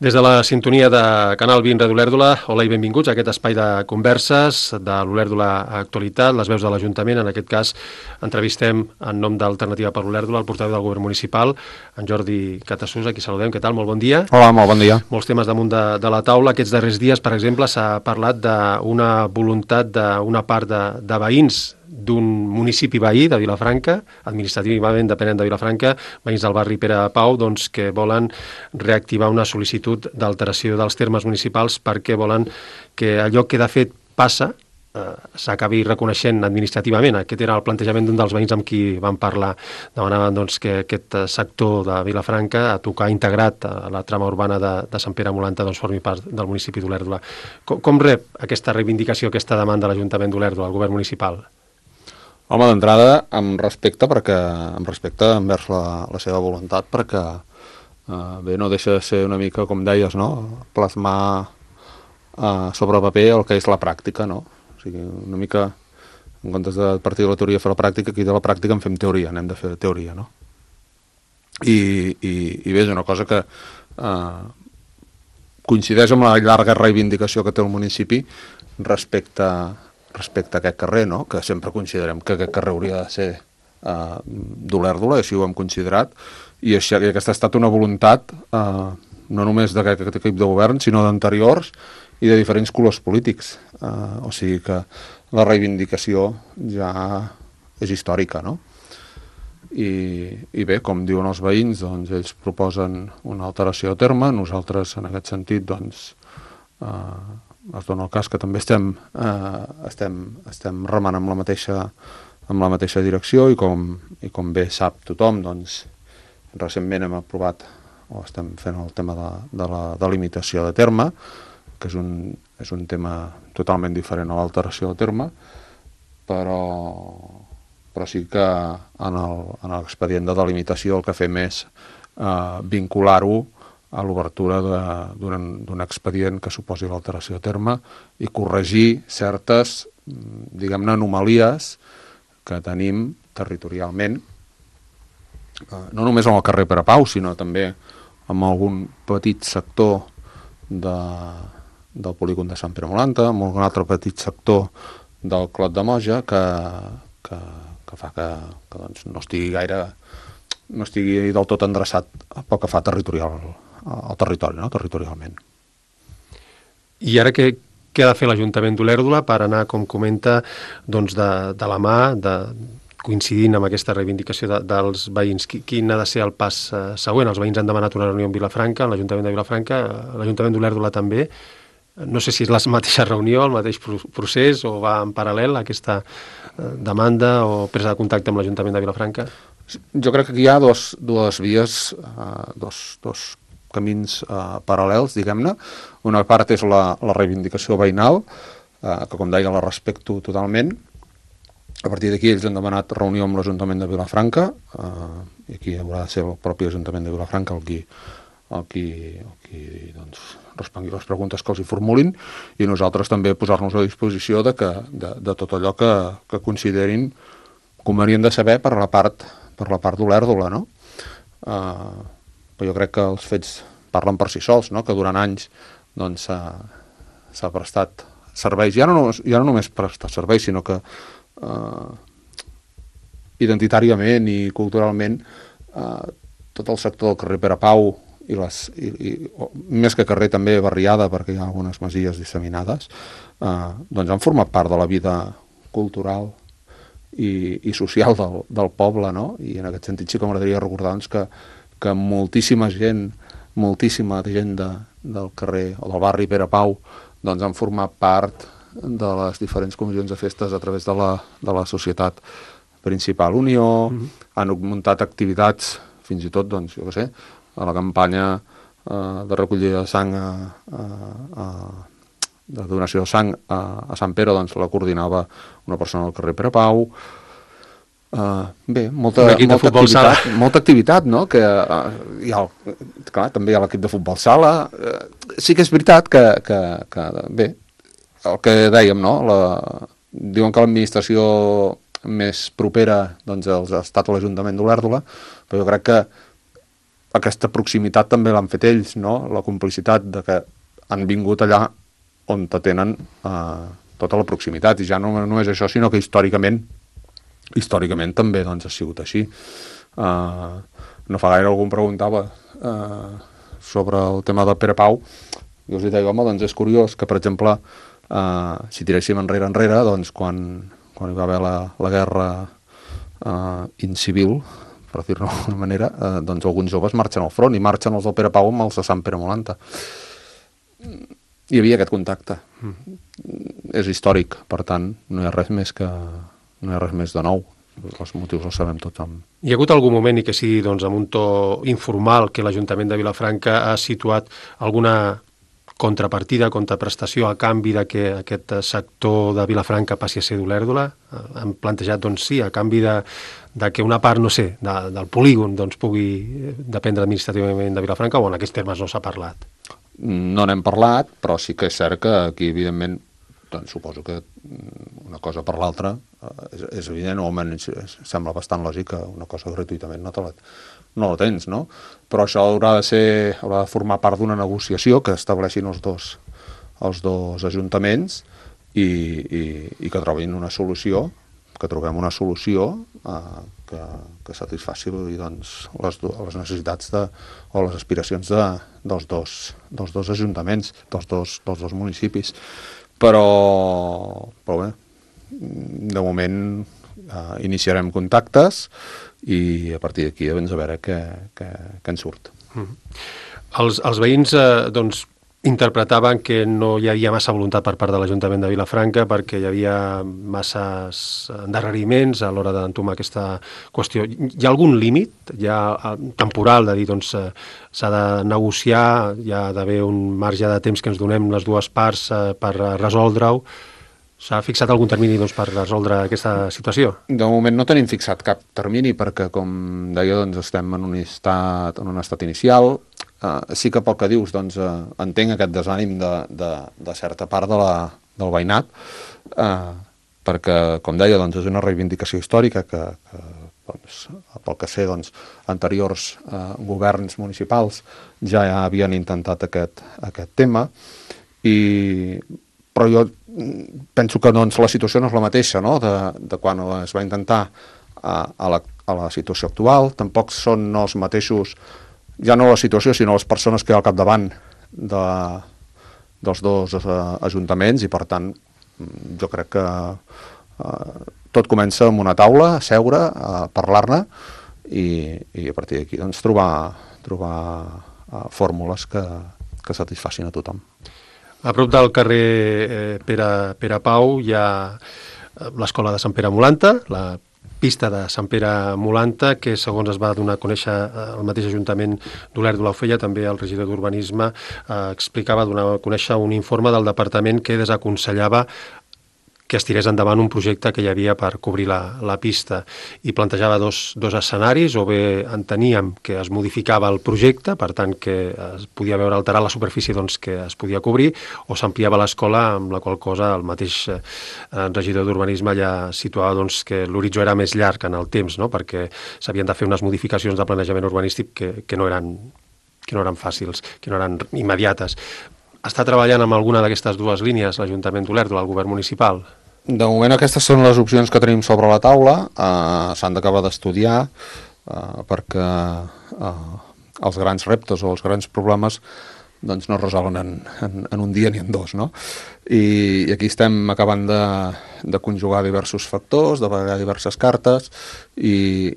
Des de la sintonia de Canal 20 Ràdio Olèrdola, hola i benvinguts a aquest espai de converses de l'Olèrdola Actualitat, les veus de l'Ajuntament. En aquest cas, entrevistem en nom d'Alternativa per l'Olèrdola el portaveu del Govern Municipal, en Jordi Catassús, a qui saludem. Què tal? Molt bon dia. Hola, molt bon dia. Molts temes damunt de la taula. Aquests darrers dies, per exemple, s'ha parlat d'una voluntat d'una part de veïns d'un municipi veí de Vilafranca, administrativament dependent de Vilafranca, veïns del barri Pere Pau, doncs, que volen reactivar una sol·licitud d'alteració dels termes municipals perquè volen que allò que de fet passa s'acabi reconeixent administrativament. Aquest era el plantejament d'un dels veïns amb qui vam parlar. Demanaven doncs, que aquest sector de Vilafranca, a tocar integrat a la trama urbana de Sant Pere Molanta, doncs, formi part del municipi d'Olèrdola. Com rep aquesta reivindicació, aquesta demanda de l'Ajuntament d'Olèrdola, el govern municipal? Home, d'entrada, amb respecte envers la seva voluntat, perquè bé, no deixa de ser una mica, com deies, no? Plasmar sobre paper el que és la pràctica, no? O sigui, una mica, en comptes de partir de la teoria a fer la pràctica, aquí de la pràctica en fem teoria, anem de fer teoria, no? I bé, és una cosa que coincideix amb la llarga reivindicació que té el municipi respecte a aquest carrer, no? Que sempre considerem que aquest carrer hauria de ser d'Olèrdola, i així ho hem considerat, i aquesta ha estat una voluntat no només d'aquest equip de govern, sinó d'anteriors i de diferents colors polítics. O sigui que la reivindicació ja és històrica, no? I bé, com diuen els veïns, doncs ells proposen una alteració de terme, nosaltres en aquest sentit doncs es dona el cas que també estem remant amb la mateixa direcció, i com bé sap tothom, doncs recentment hem aprovat o estem fent el tema de la delimitació de terme, que és un tema totalment diferent a l'alteració de terme, però sí que en l'expedient de delimitació el que fem és vincular-ho a l'obertura d'un expedient que suposi l'alteració de terme i corregir certes, diguem-ne, anomalies que tenim territorialment, no només en el carrer Pere Pau, sinó també en algun petit sector del polígon de Sant Pere Molanta, en algun altre petit sector del Clot de Moja, que fa que doncs, no estigui del tot endreçat pel que fa al territori, no? Territorialment. I ara què ha de fer l'Ajuntament d'Olèrdola per anar, com comenta, doncs de la mà, coincidint amb aquesta reivindicació dels veïns? Quin ha de ser el pas següent? Els veïns han demanat una reunió en Vilafranca, en l'Ajuntament de Vilafranca, l'Ajuntament d'Olèrdola també. No sé si és la mateixa reunió, el mateix procés, o va en paral·lel aquesta demanda o presa de contacte amb l'Ajuntament de Vilafranca? Jo crec que aquí hi ha dues vies, dos camins paral·lels, diguem-ne. Una part és la reivindicació veïnal, que com deia la respecto totalment. A partir d'aquí ells han demanat reunió amb l'Ajuntament de Vilafranca, i aquí haurà de ser el propi Ajuntament de Vilafranca el qui doncs, respongui les preguntes que els hi formulin, i nosaltres també posar-nos a disposició de tot allò que considerin convenient de saber per la part d'Olèrdola, no? Però jo crec que els fets parlen per si sols, no? Que durant anys doncs, s'ha prestat serveis, ja no només prestar serveis, sinó que identitàriament i culturalment tot el sector del carrer Pere Pau i més que carrer també barriada, perquè hi ha algunes masies disseminades, doncs han format part de la vida cultural i social del poble, no? I en aquest sentit sí que m'agradaria recordar doncs, que moltíssima gent del carrer o del barri Pere Pau doncs han format part de les diferents comissions de festes a través de la societat principal Unió, han muntat activitats, fins i tot, doncs, jo què sé, a la campanya de recollida de sang, de donació de sang a Sant Pere, doncs la coordinava una persona del carrer Pere Pau. Bé, molta activitat, no? Que clar, també hi ha l'equip de futbol sala. Sí que és veritat que bé, el que dèiem, no? Diuen que l'administració més propera doncs, ha estat l'Ajuntament d'Olèrdola, però jo crec que aquesta proximitat també l'han fet ells, no? La complicitat de que han vingut allà on tenen tota la proximitat, i ja no és això, sinó que històricament també doncs, ha sigut així. No fa gaire algú em preguntava sobre el tema del Pere Pau, i us deia, home, doncs és curiós que, per exemple, si tiréssim enrere, doncs quan hi va haver la guerra incivil, per dir-ho d'alguna manera, doncs alguns joves marxen al front, i marxen els del Pere Pau amb els de Sant Pere Molanta. Hi havia aquest contacte. És històric, per tant, no hi ha res més de nou. Els motius els sabem tots. Hi ha hagut algun moment, i que sigui doncs, amb un to informal, que l'Ajuntament de Vilafranca ha situat alguna contrapartida, contraprestació a canvi de que aquest sector de Vilafranca passi a ser d'Olèrdola? Han plantejat, doncs sí, a canvi de que una part, no sé, del polígon doncs, pugui dependre administrativament de Vilafranca, o en aquests termes no s'ha parlat? No n'hem parlat, però sí que és cert que aquí, evidentment, doncs suposo que una cosa per l'altra és evident, o almenys sembla bastant lògic que una cosa gratuïtament no la tens, no? Però això haurà de formar part d'una negociació que estableixin els dos ajuntaments i que trobin una solució, que trobem una solució que satisfaci doncs, les necessitats o les aspiracions dels dos ajuntaments, dels dos municipis. Però bé, de moment iniciarem contactes i a partir d'aquí doncs, a veure què en surt. Els veïns doncs, interpretaven que no hi havia massa voluntat per part de l'Ajuntament de Vilafranca perquè hi havia masses endarreriments a l'hora d'entomar aquesta qüestió. Hi ha algun límit temporal de dir doncs s'ha de negociar, hi ha d'haver un marge de temps que ens donem les dues parts per resoldre-ho? S'ha fixat algun termini doncs, per resoldre aquesta situació? De moment no tenim fixat cap termini perquè, com deia, doncs, estem en un estat inicial. Sí que pel que dius doncs, entenc aquest desànim de certa part del veïnat, perquè, com deia, doncs, és una reivindicació històrica que doncs, pel que sé, doncs, anteriors governs municipals ja havien intentat aquest tema, però jo penso que doncs, la situació no és la mateixa, no?, de quan es va intentar a la situació actual. Tampoc són els mateixos, ja no la situació, sinó les persones que hi ha al capdavant dels dos ajuntaments, i per tant jo crec que tot comença amb una taula, a seure, a parlar-ne i a partir d'aquí doncs, trobar fórmules que satisfacin a tothom. A prop del carrer Pere Pau hi ha l'escola de Sant Pere Molanta, la pista de Sant Pere Molanta, que segons es va donar a conèixer el mateix Ajuntament d'Olèrdola ho feia, també el regidor d'Urbanisme explicava, donava a conèixer un informe del departament que desaconsellava que es tirés endavant un projecte que hi havia per cobrir la pista, i plantejava dos escenaris: o bé enteníem que es modificava el projecte, per tant que es podia veure alterar la superfície doncs, que es podia cobrir, o s'ampliava l'escola, amb la qual cosa el mateix regidor d'Urbanisme ja situava doncs, que l'horitzó era més llarg en el temps, no?, perquè s'havien de fer unes modificacions de planejament urbanístic que no eren fàcils, que no eren immediates. Està treballant amb alguna d'aquestes dues línies l'Ajuntament d'Olèrdola, el govern municipal? De moment aquestes són les opcions que tenim sobre la taula. S'han d'acabar d'estudiar perquè els grans reptes o els grans problemes doncs, no es resolen en un dia ni en dos, no? I aquí estem acabant de conjugar diversos factors, de barallar diverses cartes i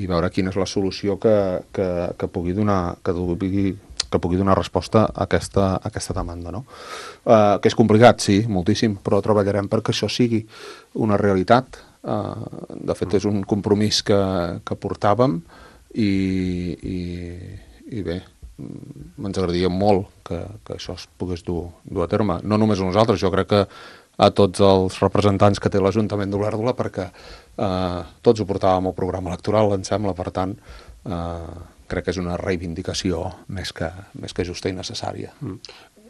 veure quina és la solució que pugui donar resposta a aquesta demanda, no? Que és complicat, sí, moltíssim, però treballarem perquè això sigui una realitat. De fet, és un compromís que portàvem i bé, ens agradaria molt que això es pogués dur a terme. No només a nosaltres, jo crec que a tots els representants que té l'Ajuntament d'Olèrdola, perquè tots ho portàvem al programa electoral, em sembla, per tant, crec que és una reivindicació més que justa i necessària.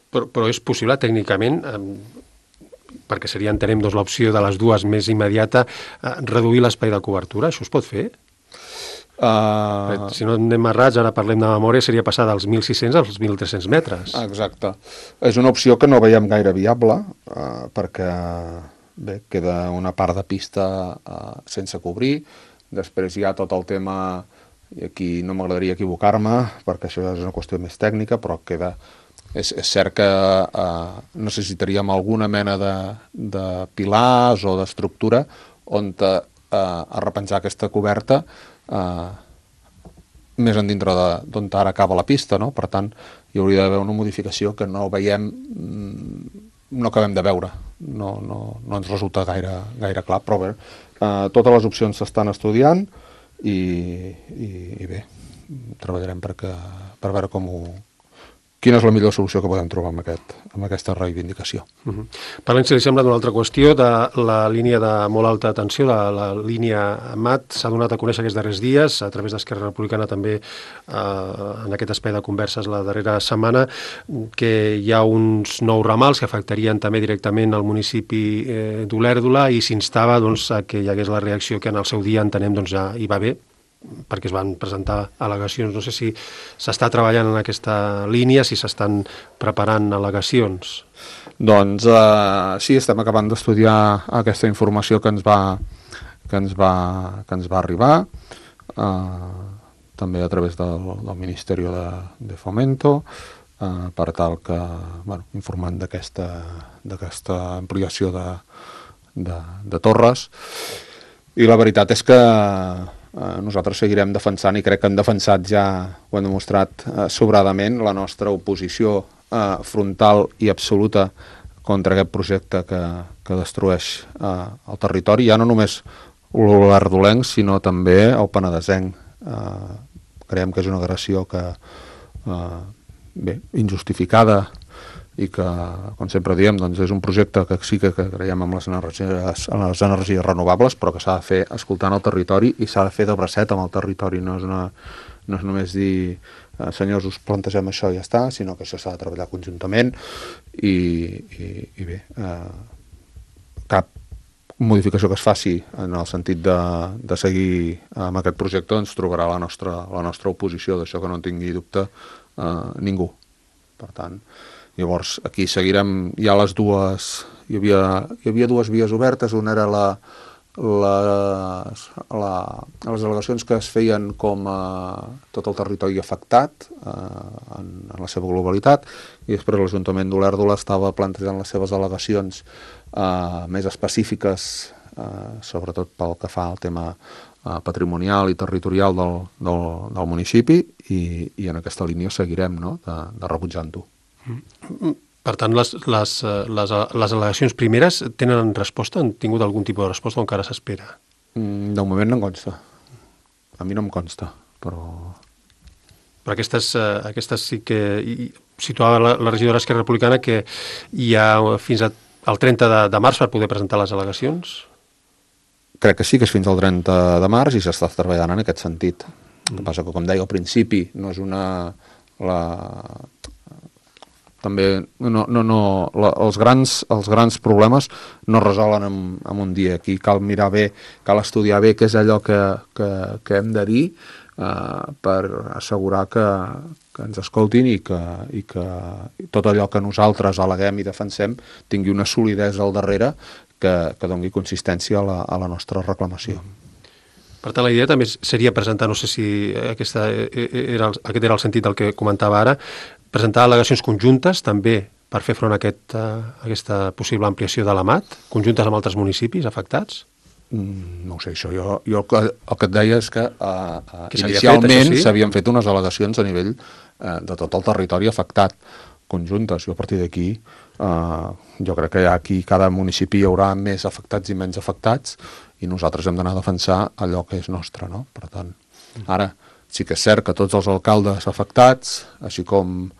Però és possible tècnicament, perquè seria, entenem, l'opció de les dues més immediata, reduir l'espai de cobertura? Això es pot fer? Si no anem errats, ara parlem de memòria, seria passar dels 1.600 als 1.300 metres. Exacte. És una opció que no veiem gaire viable, perquè bé, queda una part de pista sense cobrir. Després hi ha tot el tema, i aquí no m'agradaria equivocar-me, perquè això és una qüestió més tècnica, però queda... És cert que necessitaríem alguna mena de pilars o d'estructura on arrepenjar aquesta coberta més endintre d'on ara acaba la pista, no? Per tant, hi hauria d'haver una modificació que no veiem, no acabem de veure, no ens resulta gaire clar, però bé, totes les opcions s'estan estudiant i bé, treballarem per veure quina és la millor solució que podem trobar amb aquesta reivindicació. Parlem, si li sembla, d'una altra qüestió, de la línia de molt alta tensió, de la línia MAT. S'ha donat a conèixer aquests darrers dies, a través d'Esquerra Republicana també, en aquest espai de converses la darrera setmana, que hi ha uns nous ramals que afectarien també directament el municipi d'Olèrdola, i s'instava a que hi hagués la reacció que en el seu dia entenem ja hi va haver, perquè es van presentar al·legacions. No sé si s'està treballant en aquesta línia, si s'estan preparant al·legacions. Doncs sí, estem acabant d'estudiar aquesta informació que ens va arribar, també a través del Ministeri de Fomento, per tal que, informant d'aquesta ampliació de torres. I la veritat és que nosaltres seguirem defensant, i crec que hem defensat ja, ho hem demostrat sobradament, la nostra oposició frontal i absoluta contra aquest projecte que destrueix el territori, ja no només l'olèrdolenc, sinó també el penedesenc. Creiem que és una agressió injustificada, i que, com sempre diem, és un projecte que sí que creiem en les energies renovables, però que s'ha de fer escoltant el territori i s'ha de fer de bracet amb el territori. No és només dir, senyors, us plantegem això i ja està, sinó que això s'ha de treballar conjuntament i bé, cap modificació que es faci en el sentit de seguir amb aquest projecte ens trobarà la nostra oposició, d'això que no en tingui dubte ningú. Per tant, llavors, aquí seguirem, hi havia dues vies obertes, una era les al·legacions que es feien com a tot el territori afectat en la seva globalitat, i després l'Ajuntament d'Olèrdola estava plantejant les seves al·legacions més específiques, sobretot pel que fa al tema patrimonial i territorial del municipi, i en aquesta línia seguirem, no?, de rebutjant-ho. Per tant, les al·legacions primeres tenen resposta? Han tingut algun tipus de resposta o encara s'espera? De moment no em consta. A mi no em consta, però aquestes sí que situava la regidora d'Esquerra Republicana que hi ha fins al 30 de març per poder presentar les al·legacions? Crec que sí, que és fins al 30 de març i s'està treballant en aquest sentit. El que passa que, com deia al principi, no és també els grans problemes no es resolen en un dia. Aquí cal mirar bé, cal estudiar bé què és allò que hem de dir per assegurar que ens escoltin i que tot allò que nosaltres al·leguem i defensem tingui una solidesa al darrere que doni consistència a la nostra reclamació. Per tant, la idea també seria presentar, no sé si aquest era el sentit del que comentava ara, presentar al·legacions conjuntes també per fer front a aquesta possible ampliació de la MAT, conjuntes amb altres municipis afectats? No ho sé, això. Jo el que et deia és que inicialment s'havien fet unes al·legacions a nivell de tot el territori afectat, conjuntes, i a partir d'aquí jo crec que aquí cada municipi hi haurà més afectats i menys afectats, i nosaltres hem d'anar a defensar allò que és nostre, no? Per tant, ara sí que és cert que tots els alcaldes afectats, així com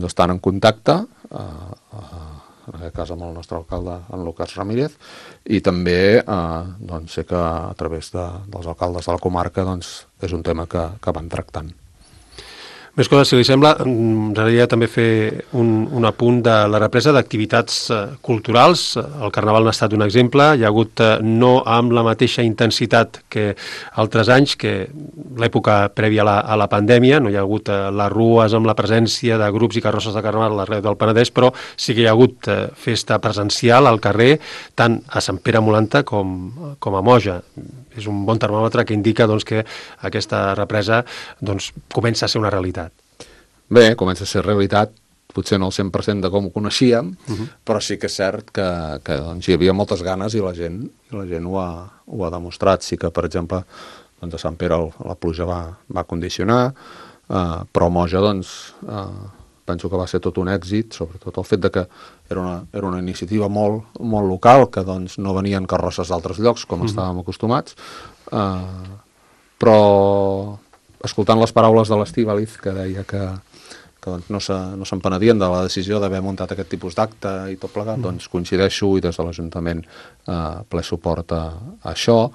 estan en contacte, en aquest cas amb el nostre alcalde, en Lucas Ramírez, i també sé que a través dels alcaldes de la comarca és un tema que van tractant. Més coses, si li sembla, ens agradaria també fer un apunt de la represa d'activitats culturals. El Carnaval n'ha estat un exemple. Hi ha hagut, no amb la mateixa intensitat que altres anys, que l'època prèvia a la pandèmia, no hi ha hagut les rues amb la presència de grups i carrosses de Carnaval arreu del Penedès, però sí que hi ha hagut festa presencial al carrer, tant a Sant Pere Molanta com a Moja. És un bon termòmetre que indica doncs, que aquesta represa doncs, comença a ser una realitat. Bé, comença a ser realitat, potser no el 100% de com ho coneixíem, però sí que és cert que doncs, hi havia moltes ganes i la gent ho ha demostrat. Sí que, per exemple, doncs, a Sant Pere la pluja va condicionar, però a Moja doncs, penso que va ser tot un èxit, sobretot el fet de que era una iniciativa molt local, que doncs, no venien carrosses d'altres llocs, com estàvem acostumats, però escoltant les paraules de l'Estíbaliz, que deia que doncs, no se'n penedien de la decisió d'haver muntat aquest tipus d'acte i tot plegat, doncs coincideixo i des de l'Ajuntament ple suport a això,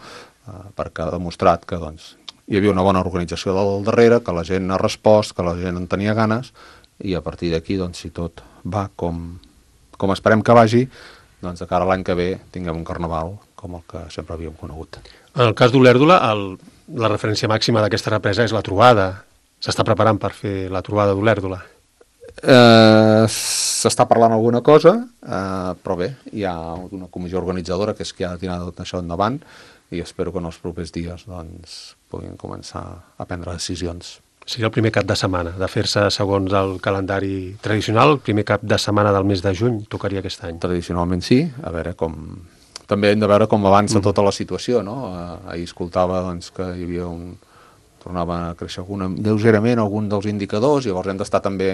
perquè ha demostrat que doncs, hi havia una bona organització del darrere, que la gent ha respost, que la gent en tenia ganes, i a partir d'aquí, doncs, si tot va com esperem que vagi, doncs de cara a l'any que ve tinguem un carnaval com el que sempre havíem conegut. En el cas d'Olèrdola, la referència màxima d'aquesta represa és la trobada. S'està preparant per fer la trobada d'Olèrdola? S'està parlant alguna cosa, però bé, hi ha una comissió organitzadora que és qui ha de tirar tot això endavant i espero que en els propers dies doncs, puguin començar a prendre decisions. Seria el primer cap de setmana, de fer-se segons el calendari tradicional, el primer cap de setmana del mes de juny tocaria aquest any. Tradicionalment sí, a veure com... També hem de veure com avança tota la situació, no? Ahir escoltava doncs, que hi havia tornava a créixer lleugerament algun dels indicadors, llavors hem d'estar també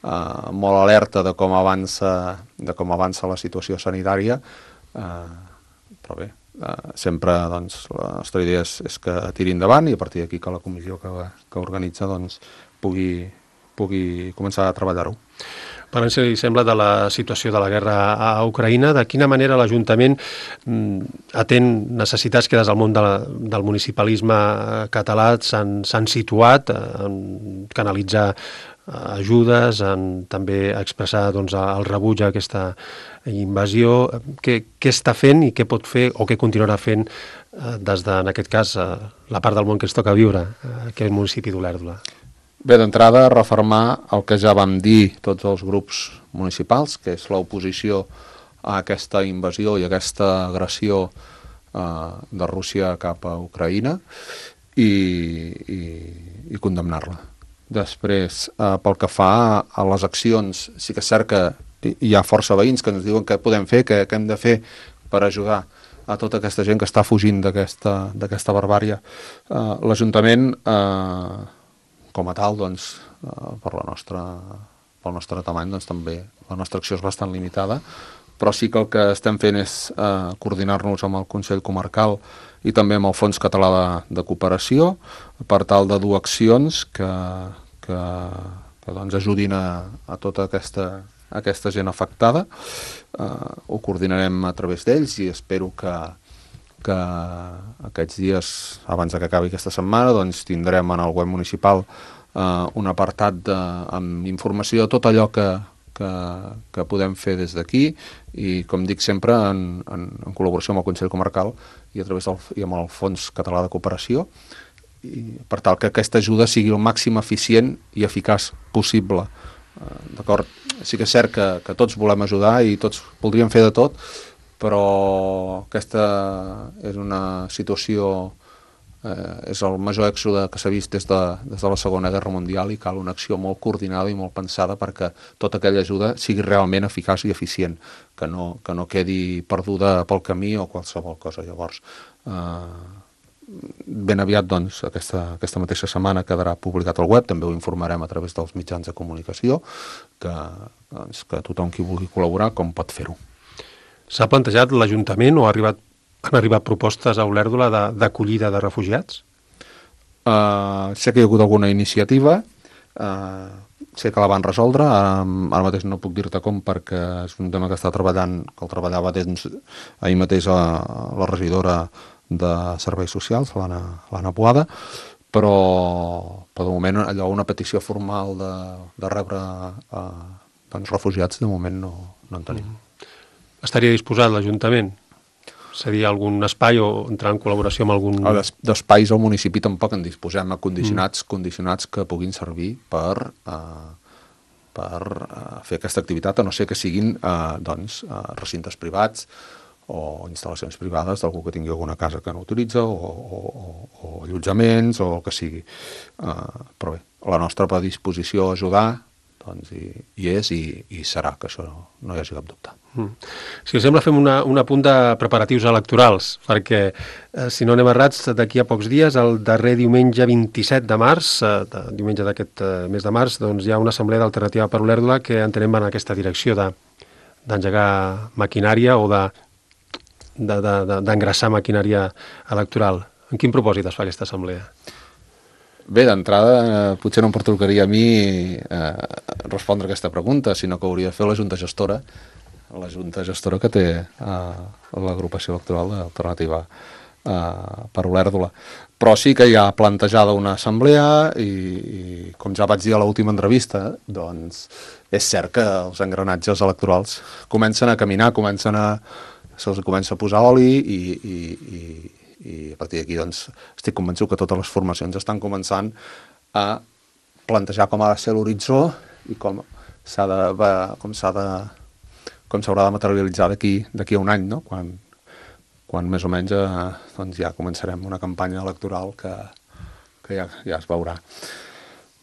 molt alerta de com avança la situació sanitària, però bé, sempre doncs, la nostra idea és que tiri endavant i a partir d'aquí que la comissió que organitza doncs, pugui començar a treballar-ho. Parlant, si li sembla, de la situació de la guerra a Ucraïna, de quina manera l'Ajuntament atén necessitats que des del món del municipalisme català s'han situat en canalitzar ajudes, en també expressar doncs, el rebuig a aquesta invasió. Què està fent i què pot fer o què continuarà fent des de, en aquest cas, la part del món que ens toca viure, aquest municipi d'Olèrdola? Bé, d'entrada, refermar el que ja vam dir tots els grups municipals, que és l'oposició a aquesta invasió i a aquesta agressió de Rússia cap a Ucraïna i condemnar-la. Després, pel que fa a les accions, sí que és cert que hi ha força veïns que ens diuen què podem fer, què hem de fer per ajudar a tota aquesta gent que està fugint d'aquesta barbària. L'Ajuntament, com a tal, doncs, pel nostre tamany, doncs, també la nostra acció és bastant limitada, però sí que el que estem fent és coordinar-nos amb el Consell Comarcal i també amb el Fons Català de Cooperació per tal de dur accions que doncs, ajudin a tota aquesta gent afectada. Ho coordinarem a través d'ells i espero que aquests dies, abans que acabi aquesta setmana, doncs, tindrem en el web municipal un apartat amb informació de tot allò que podem fer des d'aquí i, com dic sempre, en col·laboració amb el Consell Comarcal i amb el Fons Català de Cooperació, i per tal que aquesta ajuda sigui el màxim eficient i eficaç possible. D'acord? Sí que és cert que tots volem ajudar i tots voldríem fer de tot, però aquesta és una situació, és el major èxode que s'ha vist des de la Segona Guerra Mundial i cal una acció molt coordinada i molt pensada perquè tota aquella ajuda sigui realment eficaç i eficient, que no quedi perduda pel camí o qualsevol cosa. Llavors, ben aviat, doncs, aquesta mateixa setmana quedarà publicat al web, també ho informarem a través dels mitjans de comunicació, que tothom qui vulgui col·laborar com pot fer-ho. S'ha plantejat l'Ajuntament o han arribat propostes a Olèrdola d'acollida de refugiats? Sé que hi ha hagut alguna iniciativa, sé que la van resoldre, ara mateix no puc dir-te com perquè és un tema que el treballava ahir mateix la regidora de Serveis Socials, l'Anna Boada, però de moment allò, una petició formal de rebre doncs, refugiats, de moment no en tenim. Estaria disposat l'Ajuntament? Seria algun espai o entrar en col·laboració amb algun... D'espais al municipi tampoc en disposem, condicionats que puguin servir per fer aquesta activitat, a no ser que siguin recintes privats o instal·lacions privades d'algú que tingui alguna casa que no utilitza o allotjaments o el que sigui. Però bé, la nostra predisposició a ajudar doncs hi és i serà, que això no hi hagi cap dubte. Si us sembla, fem un apunt de preparatius electorals, perquè, si no anem errats, d'aquí a pocs dies, el darrer diumenge 27 de març, diumenge d'aquest mes de març, doncs hi ha una assemblea d'Alternativa per Olèrdola que entenem va en aquesta direcció d'engegar maquinària o d'engraçar maquinària electoral. En quin propòsit es fa aquesta assemblea? Bé, d'entrada, potser no em pertocaria a mi respondre aquesta pregunta, sinó que hauria de fer la Junta Gestora, que té l'agrupació electoral d'Alternativa per Olèrdola. Però sí que hi ha plantejada una assemblea i com ja vaig dir a l'última entrevista, doncs és cert que els engranatges electorals comencen a caminar, se'ls comença a posar oli i a partir d'aquí doncs, estic convençut que totes les formacions estan començant a plantejar com ha de ser l'horitzó i com s'haurà de materialitzar d'aquí a un any, no? Quan més o menys doncs ja començarem una campanya electoral que ja es veurà.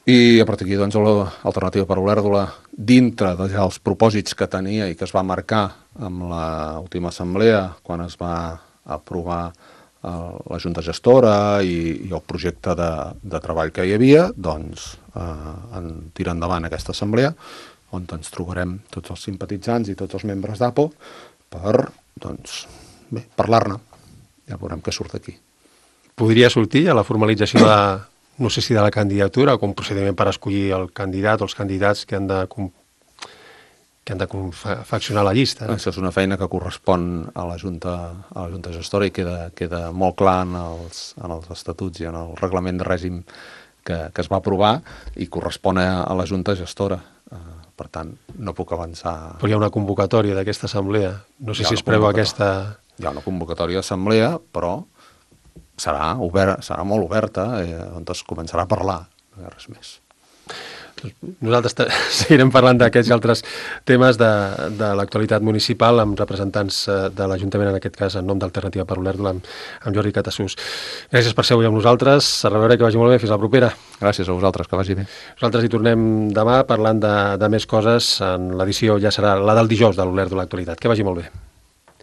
I a partir d'aquí doncs, l'Alternativa per Olèrdola, dintre dels propòsits que tenia i que es va marcar amb l'última assemblea, quan es va aprovar la Junta Gestora i el projecte de treball que hi havia, doncs tira endavant aquesta assemblea, on ens trobarem tots els simpatitzants i tots els membres d'APO per, doncs, bé, parlar-ne. Ja veurem què surt d'aquí. Podria sortir a la formalització no sé si de la candidatura o com procediment per escollir el candidat o els candidats que han de confeccionar la llista. Això és una feina que correspon a la Junta Gestora i queda molt clar en els estatuts i en el reglament de règim que es va aprovar i correspon a la Junta Gestora. Per tant, no puc avançar... Però hi ha una convocatòria d'aquesta assemblea. No sé si es preveu aquesta... Hi ha una convocatòria d'assemblea, però serà molt oberta, on es començarà a parlar, no hi ha res més. Nosaltres seguirem parlant d'aquests i altres temes de l'actualitat municipal amb representants de l'Ajuntament, en aquest cas en nom d'Alternativa per Olèrdola, amb Jordi Catassús. Gràcies per ser avui amb nosaltres, a reveure, que vagi molt bé, fins la propera. Gràcies a vosaltres, que vagi bé. Nosaltres hi tornem demà parlant de més coses, en l'edició ja serà la del dijous de l'Olèrdola Actualitat. Que vagi molt bé.